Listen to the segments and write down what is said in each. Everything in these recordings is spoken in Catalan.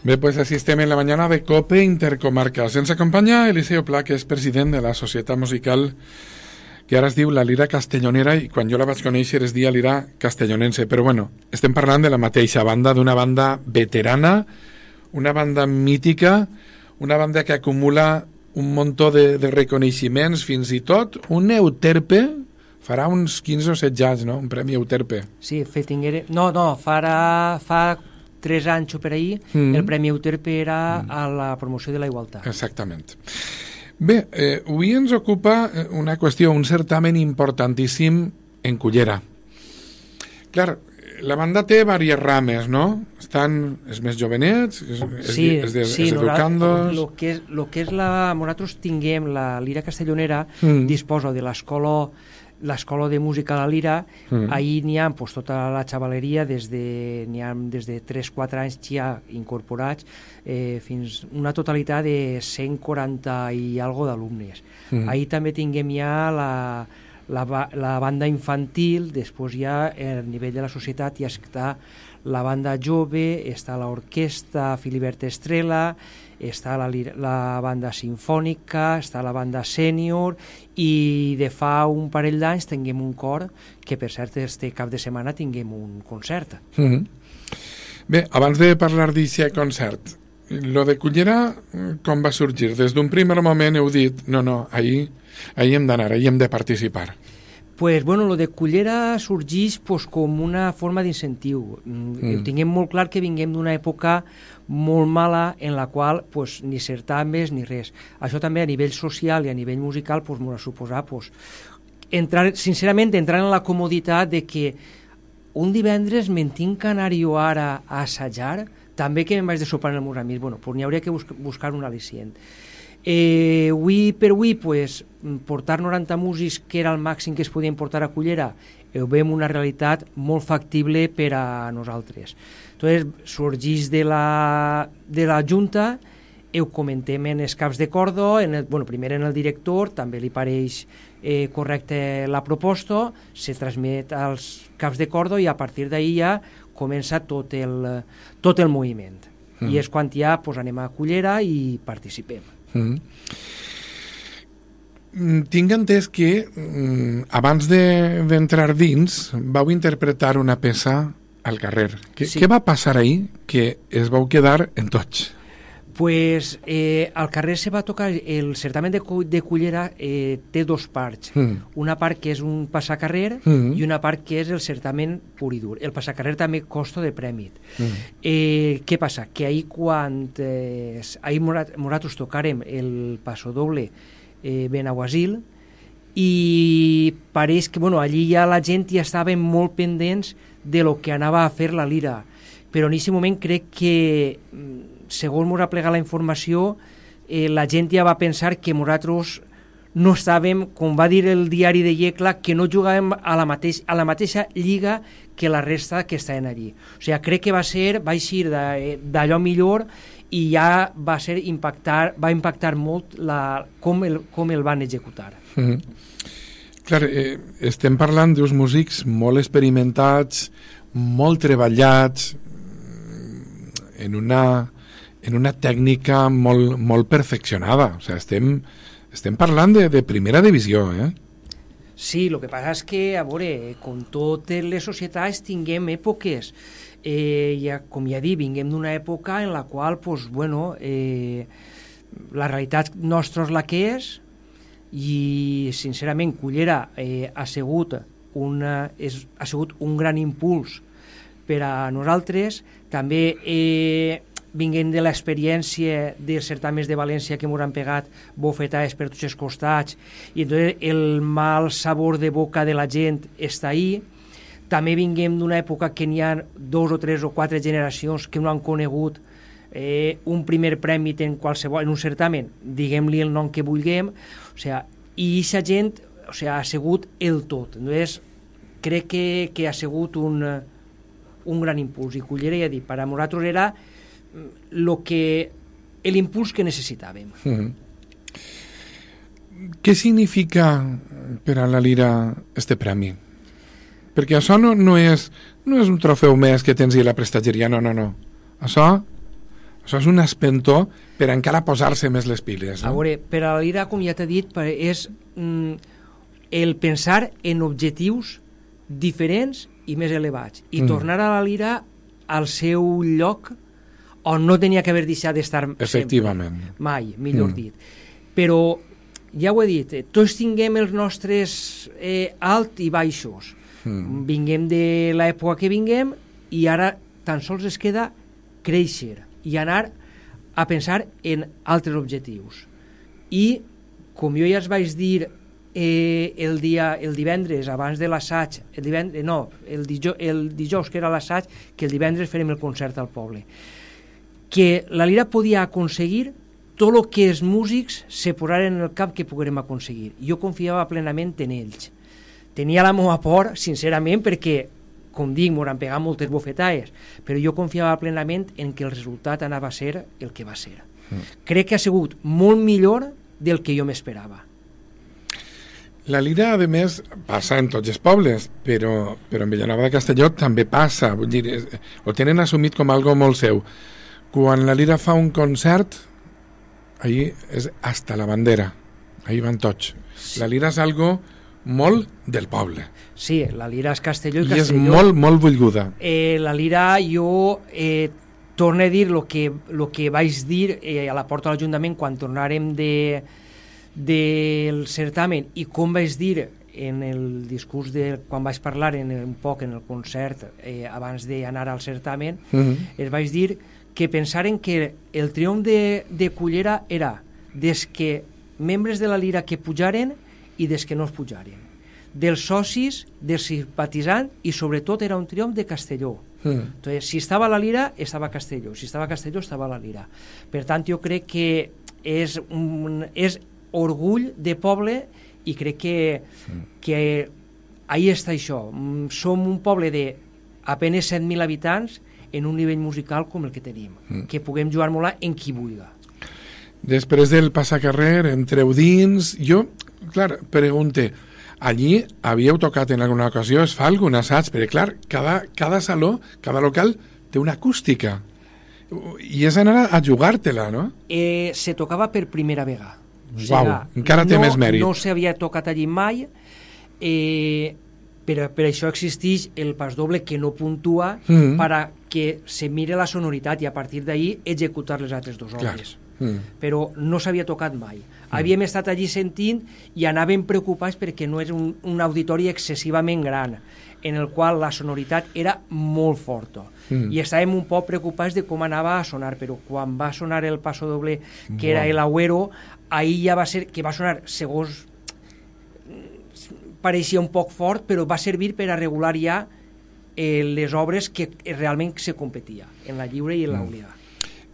Bé, pues así estem en la mañana de COPE Intercomarcas. Ens acompanya Eliseo Pla, que és president de la Societat Musical, que ara es diu la Lira Castellonera, i quan jo la vaig conèixer es dia Lira Castellonense. Però bueno, estem parlant de la mateixa banda, d'una banda veterana, una banda mítica, una banda que acumula un muntó de reconeixements, fins i tot un Euterpe, farà uns 15 o 16 anys, no? Un premi Euterpe. Sí, fa 3 anys o per ahir, el Premi Euterpe era a la promoció de la igualtat. Exactament. Bé, avui ens ocupa una qüestió, un certamen importantíssim en Cullera. Clar, la banda té diverses rames, no? Estan els més jovenets, els educandos... Lo que és nosaltres tinguem la Lira Castellonera, disposa de l'escola de música a la Lira. Ahir n'hi ha tota la xavaleria, n'hi ha des de 3-4 anys ja incorporats, fins una totalitat de 140 i algo d'alumnes. Ahir també tinguem ja la banda infantil, després ja a nivell de la societat ja està la banda jove, està l'orquestra Filibert Estrela, està la banda sinfònica, està la banda sènior, i de fa un parell d'anys tinguem un cor, que per cert este cap de setmana tinguem un concert. Bé, abans de parlar d'aquest concert, lo de Cullera com va sorgir? Des d'un primer moment heu dit, no, ahir hem d'anar, ahir hem de participar. Pues bueno, lo de Cullera sorgeix com una forma d'incentiu. Tinguem molt clar que vinguem d'una època molt mala en la qual ni certames ni res. Això també a nivell social i a nivell musical m'ho ha suposat sincerament entrar en la comoditat de que un divendres me'n tinc que anar jo ara a assajar, també que me'n vaig de sopar en el meus amics. Bueno, n'hi hauria que buscar un al·licient. Avui per avui portar 90 músics, que era el màxim que es podien portar a Cullera, ho veiem una realitat molt factible per a nosaltres. Entonces sorgeix de la Junta, ho comentem en els caps de corda, primer en el director, també li pareix correcte la proposta, se transmet als caps de corda i a partir d'ahir ja comença tot el moviment. I és quan ja anem a Cullera i participem. Tinc entès que abans d'entrar dins vau interpretar una peça al carrer. Què va passar ahir que es vau quedar en tots? Al carrer se va tocar el certamen de Cullera. Té dos parts, una part que és un passacarrer i una part que és el certamen pur i dur. El passacarrer també costa de premi. Què passa? Que ahir quan nosaltres tocarem el passodoble Benaguasil, i pareix que allí ja la gent ja estava molt pendents de lo que anava a fer la Lira, però en aquest moment crec que segons m'ha plegat la informació, la gent ja va pensar que nosaltres no estàvem, com va dir el diari de Yecla, que no jugàvem a la mateixa lliga que la resta que estaven allí. O sigui, crec que va eixir d'allò millor, i ja va impactar molt com el van executar. Clar, estem parlant d'uns músics molt experimentats, molt treballats, en una tècnica molt perfeccionada. O sigui, estem parlant de primera divisió, Sí, el que passa és que, a veure, com totes les societats tinguem èpoques. Com ja dic, vinguem d'una època en la qual la realitat nostra és la que és, i sincerament Cullera ha sigut un gran impuls per a nosaltres. També vinguem de l'experiència dels certaments de València, que ens han pegat bofetades per tots els costats, i entonces el mal sabor de boca de la gent està ahí. També vinguem d'una època que n'hi ha 2 o 3 o 4 generacions que no han conegut un primer premi en un certamen, diguem-li el nom que vulguem, i aquesta gent ha sigut el tot. Entonces, crec que ha sigut un gran impuls, i Cullera, ja dic, per a nosaltres era l'impuls que necessitàvem. Què significa per a la Lira este premi? Perquè això no és un trofeu més que tens a la prestatgeria, no. Això Això és un espentó per encara posar-se més les piles. A veure, per a la lira, com ja t'he dit, és el pensar en objectius diferents i més elevats i tornar a la lira al seu lloc on no tenia que haver deixat d'estar efectivament sempre. Mai, millor dit. Però ja ho he dit, tots tinguem els nostres alt i baixos. Vinguem de l'època que vinguem i ara tan sols es queda créixer i anar a pensar en altres objectius. I, com jo ja es vaig dir el divendres abans de l'assaig, el dijous que era l'assaig, que el divendres farem el concert al poble, que la lira podia aconseguir tot el que els músics se posaren en el cap que poguérem aconseguir. Jo confiava plenament en ells. Tenia la meva por, sincerament, perquè, com dic, m'ho han pegat moltes bofetades, però jo confiava plenament en que el resultat anava a ser el que va ser. Crec que ha sigut molt millor del que jo m'esperava. La lira, a més, passa en tots els pobles, però en Vilanova de Castelló també passa, vull dir, ho tenen assumit com algo molt seu. Quan la lira fa un concert, ahí és hasta la bandera, ahí van tots. La lira és algo molt del poble. Sí, la lira és Castelló i Castelló. I és molt, molt volguda. La lira, jo torno a dir el que vaig dir a la porta de l'Ajuntament quan tornàrem del certamen i com vaig dir en el discurs quan vaig parlar un poc en el concert abans d'anar al certamen, es vaig dir que pensaren que el triomf de Cullera era des que membres de la lira que pujaren i des que no es pujaren, dels socis, dels simpatitzants i sobretot era un triomf de Castelló. Entonces, si estava la lira, estava Castelló, si estava Castelló, estava la lira. Per tant, jo crec que és orgull de poble i crec que ahí està això. Som un poble de apenas 7.000 habitants en un nivell musical com el que tenim, que puguem jugar molt en qui vulgui. Després del passacarrer, entreu dins, jo, clar, pregunte, allí havíeu tocat en alguna ocasió, es fa algun assaig, perquè clar, cada saló, cada local té una acústica i és anar a jugar-te-la, no? Se tocava per primera vegada. Encara té més mèrit. No s'havia tocat allí mai, per això existeix el pasdoble que no puntua per que se mire la sonoritat i a partir d'ahir executar les altres dues obres. Però no s'havia tocat mai. Havíem estat allí sentint i anàvem preocupats perquè no és un auditori excessivament gran en el qual la sonoritat era molt forta i estàvem un poc preocupats de com anava a sonar, però quan va sonar el pasdoble que era el Agüero, ahir ja va ser que va sonar segons pareixia un poc fort, però va servir per a regular ja les obres que realment se competia en la lliure i en l'obligada.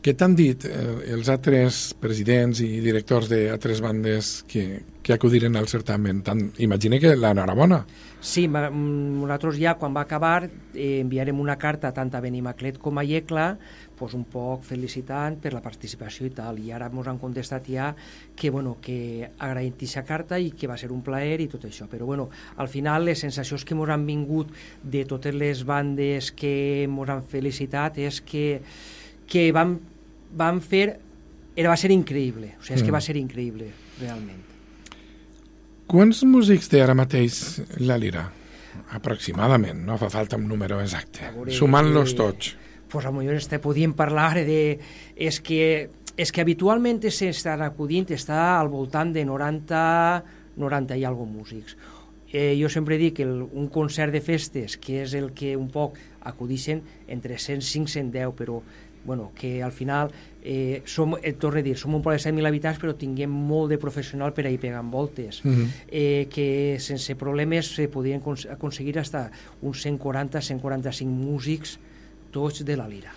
Què t'han dit els altres presidents i directors d'altres bandes que acudiren al certamen? Imagina que l'enhorabona. Sí, nosaltres ja quan va acabar enviarem una carta tant a Benimaclet com a Iecla, pues un poc felicitant per la participació i tal, i ara ens han contestat ja que agraïm aquesta carta i que va ser un plaer i tot això, però al final les sensacions que ens han vingut de totes les bandes que ens han felicitat és que van fer, va ser increïble, o sigui, és que va ser increïble, realment. Quants músics té ara mateix la lira? Aproximadament, no fa falta un número exacte, sumant-los tots. Pues a lo millor podíem parlar de... És que habitualment s'estan acudint, està al voltant de 90 i algo músics. Jo sempre dic que un concert de festes, que és el que un poc acudixen entre 105 i 110, però que al final torno a dir, som un poble de 7.000 habitants però tinguem molt de professional per ahir pegant voltes, que sense problemes se podien aconseguir fins uns 140-145 músics tots de la lira.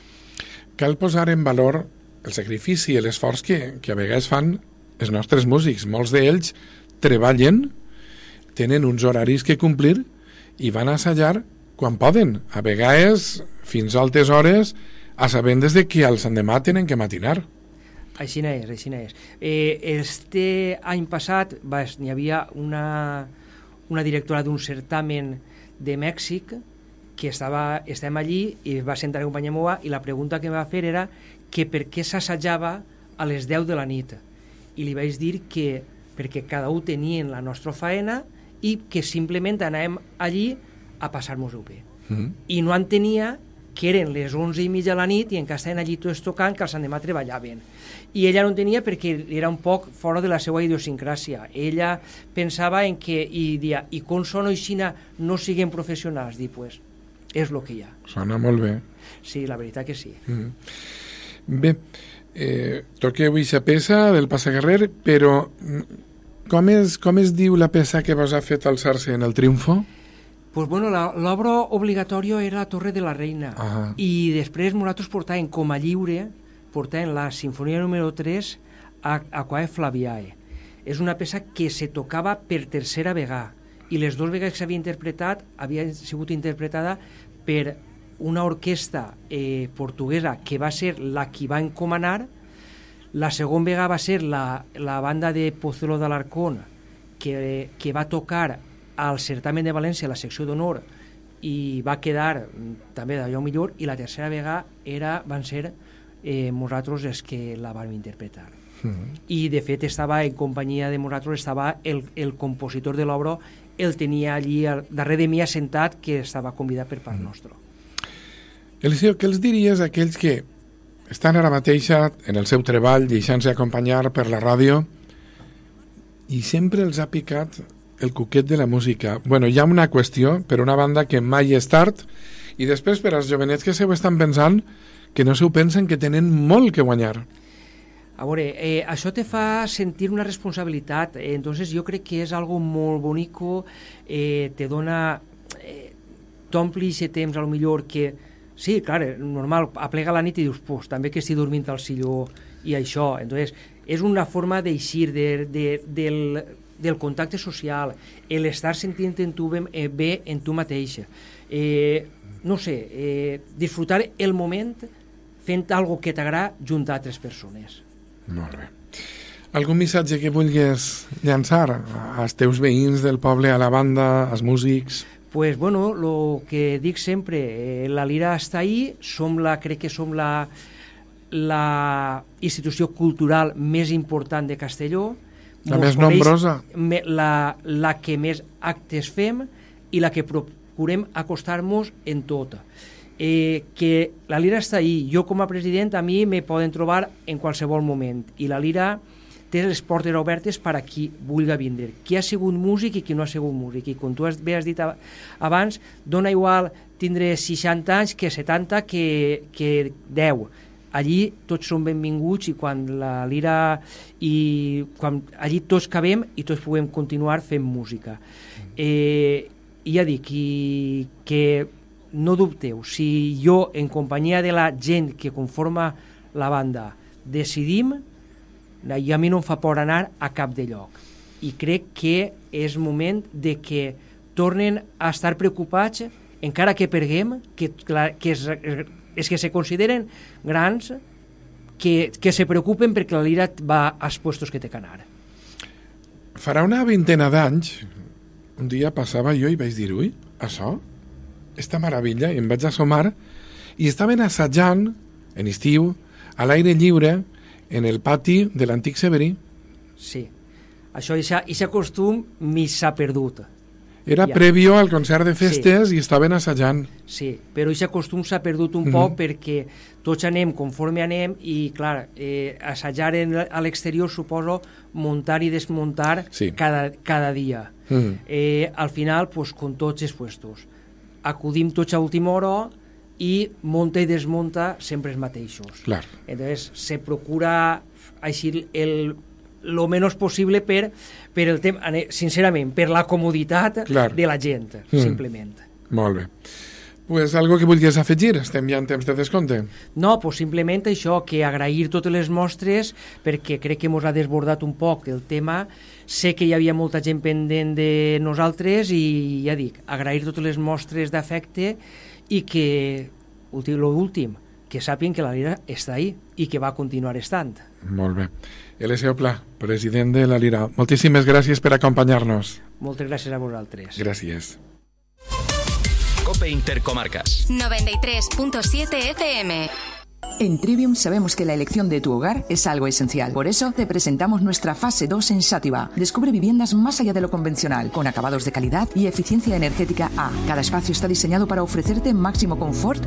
Cal posar en valor el sacrifici i l'esforç que a vegades fan els nostres músics. Molts d'ells treballen, tenen uns horaris que complir i van a assajar quan poden, a vegades fins a altes hores, a sabent des de que els endemà tenen que matinar. Així és. Este any passat hi havia una directora d'un certamen de Mèxic que estàvem allí i va sentar la companya meva i la pregunta que em va fer era que per què s'assajava a les 10 de la nit. I li vaig dir que perquè cada un tenien la nostra faena i que simplement anàvem allí a passar-nos-ho bé. I no entenia que eren les 11:30 de la nit i encara estaven allí tots tocant, que els endemà treballaven. I ella no entenia perquè era un poc fora de la seva idiosincràsia. Ella pensava en que, i dia, i com són així no siguin professionals? Dic, pues, és el que hi ha. Sona molt bé. Sí, la veritat que sí. Bé, toqueu eixa peça del Passacarrer, però com es diu la peça que vos ha fet alçar-se en el triomfo? Pues bueno, l'obra obligatòria era la Torre de la Reina. I després nosaltres portàvem com a lliure, portàvem la Sinfonia número 3 a Quae Flaviae. És una peça que se tocava per tercera vegada i les dues vegades que s'havia interpretat havia sigut interpretada per una orquestra portuguesa que va ser la que va encomanar. La segona vegada va ser la banda de Pozuelo de Alarcón que va tocar al certamen de València, la secció d'honor, i va quedar també d'allò millor, i la tercera vegada van ser nosaltres els que la vam interpretar. I de fet estava en companyia de nosaltres, estava el compositor de l'obra, el tenia allí darrere de mi assentat, que estava convidat per part nostra. Eliseo, què els diries a aquells que estan ara mateix en el seu treball deixant-se acompanyar per la ràdio i sempre els ha picat el cuquet de la música? Bueno, hi ha una qüestió, per una banda, que mai és tard, i després per als jovenets que se ho estan pensant, que no se ho pensen, que tenen molt que guanyar. A veure, això te fa sentir una responsabilitat, entonces jo crec que és algo molt bonico, te dona, t'ompli aquest temps, a lo millor que, sí, clar, normal, aplega la nit i dius, pues, també que estic dormint al silló i això, entonces, és una forma d'eixir del contacte social, l'estar sentint en tu bé en tu mateixa. No sé, disfrutar el moment fent algo que t'agrada junt a altres persones. Molt bé. Algun missatge que vulguis llançar als teus veïns del poble, a la banda, als músics? Pues bueno, lo que dic sempre, la Lira està ahí, crec que som la institució cultural més important de Castelló, la més nombrosa, la que més actes fem i la que procurem acostar-nos en tot. Que la Lira està ahí. Jo com a president a mi me poden trobar en qualsevol moment i la Lira té les portes obertes per a qui vulgui vindre, qui ha sigut músic i qui no ha sigut músic, i com tu has dit abans, dona igual tindre 60 anys que 70 que 10. Allí tots som benvinguts i quan la Lira quan allí tots cabem i tots puguem continuar fent música. I ja dic que no dubteu, si jo en companyia de la gent que conforma la banda decidim, i a mi no em fa por anar a cap de lloc, i crec que és moment de que tornen a estar preocupats encara que perguem, que és que se consideren grans, que se preocupen perquè la Lira va als puestos que té que anar. Farà una vintena d'anys, un dia passava jo i vaig dir, ui, això, esta meravella, i em vaig assomar, i estaven assajant, en estiu, a l'aire lliure, en el pati de l'antic Severí. Sí, això, aquest costum m'hi s'ha perdut. Era prèvio al concert de festes, sí, i estaven assajant. Sí, però aquest costum s'ha perdut un poc perquè tots anem conforme anem i, clar, assajar a l'exterior suposo muntar i desmuntar cada dia. Al final, pues, com tots els puestos, acudim tots a última hora i munta i desmunta sempre els mateixos. Clar. Entonces, se procura així lo menos possible per el temps, sincerament, per la comoditat de la gent, simplement. Molt bé. Pues algo que vulguis afegir? Estem ja en temps de descompte. No, pues simplement això, que agrair totes les mostres, perquè crec que ens ha desbordat un poc el tema. Sé que hi havia molta gent pendent de nosaltres i ja dic, agrair totes les mostres d'afecte i que, l'últim, que sàpien que la Lira està ahí i que va continuar estant. Molt bé. Eliseo Pla, president de la Lira, moltíssimes gràcies per acompanyar-nos. Moltes gràcies a vosaltres. Gràcies. COPE Intercomarcas. 93.7 FM. En Trivium sabemos que la elección de tu hogar es algo esencial. Por eso te presentamos nuestra fase 2 en Xàtiva. Descubre viviendas más allá de lo convencional, con acabados de calidad y eficiencia energética A. Cada espacio está diseñado para ofrecerte máximo confort